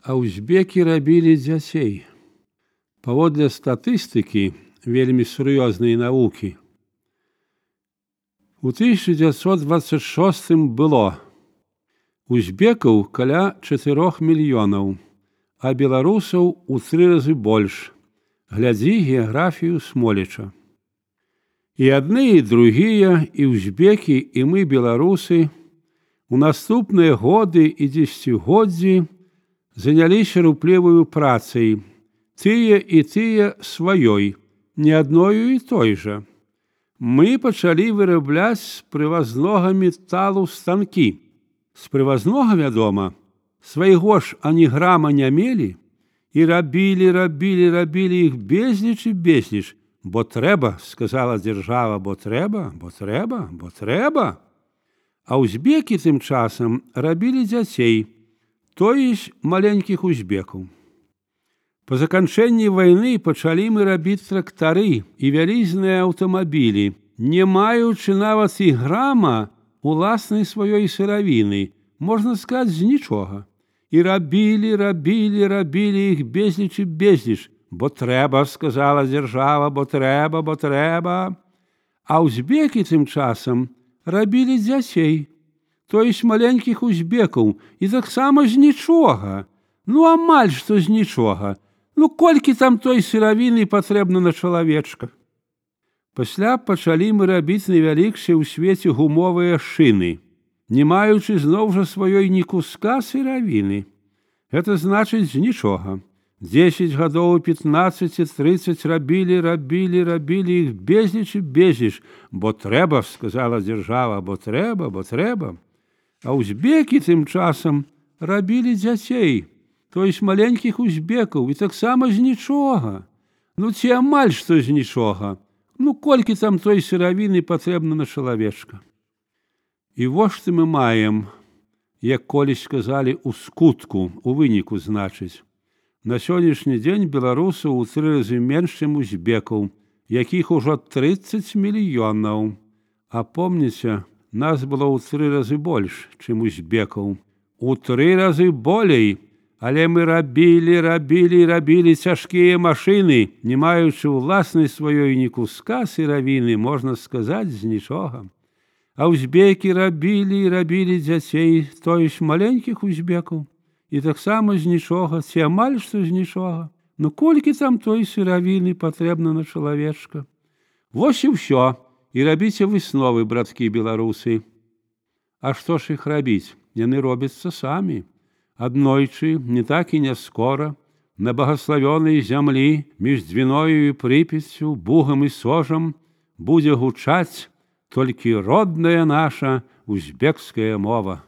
А узбекі рабілі дзяцей. Паводле статыстыкі вельмі сур'ёзнай навукі, у 1926 было узбекаў каля 4 мільёнаў, а беларусаў у 3 разы больш. Глядзі геаграфію Смоліча. І адны, і другія, і узбекі, і мы, беларусы, у наступныя годы і дзесяцігоддзі заняліся рупліваю працай, тыя і тыя сваёй, не адною і той жа. Мы пачалі вырабляць з прывазнога металу станкі. З прывазнога, вядома, свайго ж ані грама не мелі, і рабілі іх безліч і безліч, бо трэба, сказала дзяржава, бо трэба. А узбекі тым часам рабілі дзяцей, то есть маленькіх узбекаў. Па заканчэнні вайны пачалі мы рабіць трактары і вялізныя аўтамабілі, не маючы нават і грама уласнай сваёй сыравіны, можна сказаць, з нічога. І рабілі іх безліч і безліч, бо трэба, сказала дзяржава, бо трэба. А узбекі тым часам рабілі дзяцей, то есть маленькіх узбекаў, і таксама з нічога. Амаль што з нічога. Колькі там той сыравіны патрэбна на чалавечка? Пасля пачалі мы рабіць найвялікшыя ў свеце гумовыя шыны, не маючы зноў жа сваёй ні куска сыравіны. Гэта значыць з нічога. 10 гадоў, 15, 30 рабілі іх безліч і безліч, бо трэба, сказала дзяржава, бо трэба. А узбекі тым часам рабілі дзяцей, то есть маленькіх узбекаў, і таксама з нічога. Ці амаль што з нічога. Колькі там той сыравіны патрэбна на чалавечка. І вось што мы маем, як колісь сказалі, у скутку, у выніку, значыць. На сённяшні дзень беларусаў у 3 разы менш, чым узбекаў, якіх ужо 30 мільёнаў. А помніце, нас было ў 3 разы больш, чым узбекаў. У 3 разы болей, але мы рабілі цяжкія машыны, не маючы ўласнай сваёй ні куска сыравіны, можна сказаць, з нічога. А узбекі рабілі дзяцей, то есть маленькіх узбекаў, і таксама з нічога, ці амаль што з нічога. Колькі там той сыравіны патрэбна на чалавечка? Вось і ўсё. І рабіце высновы, браткі беларусы. А што ж іх рабіць? Яны робяцца самі. Аднойчы, не так і не скора, на багаславёнай зямлі між Двіною і Прыпяццю, Бугам і Сожам будзе гучаць толькі родная наша узбекская мова.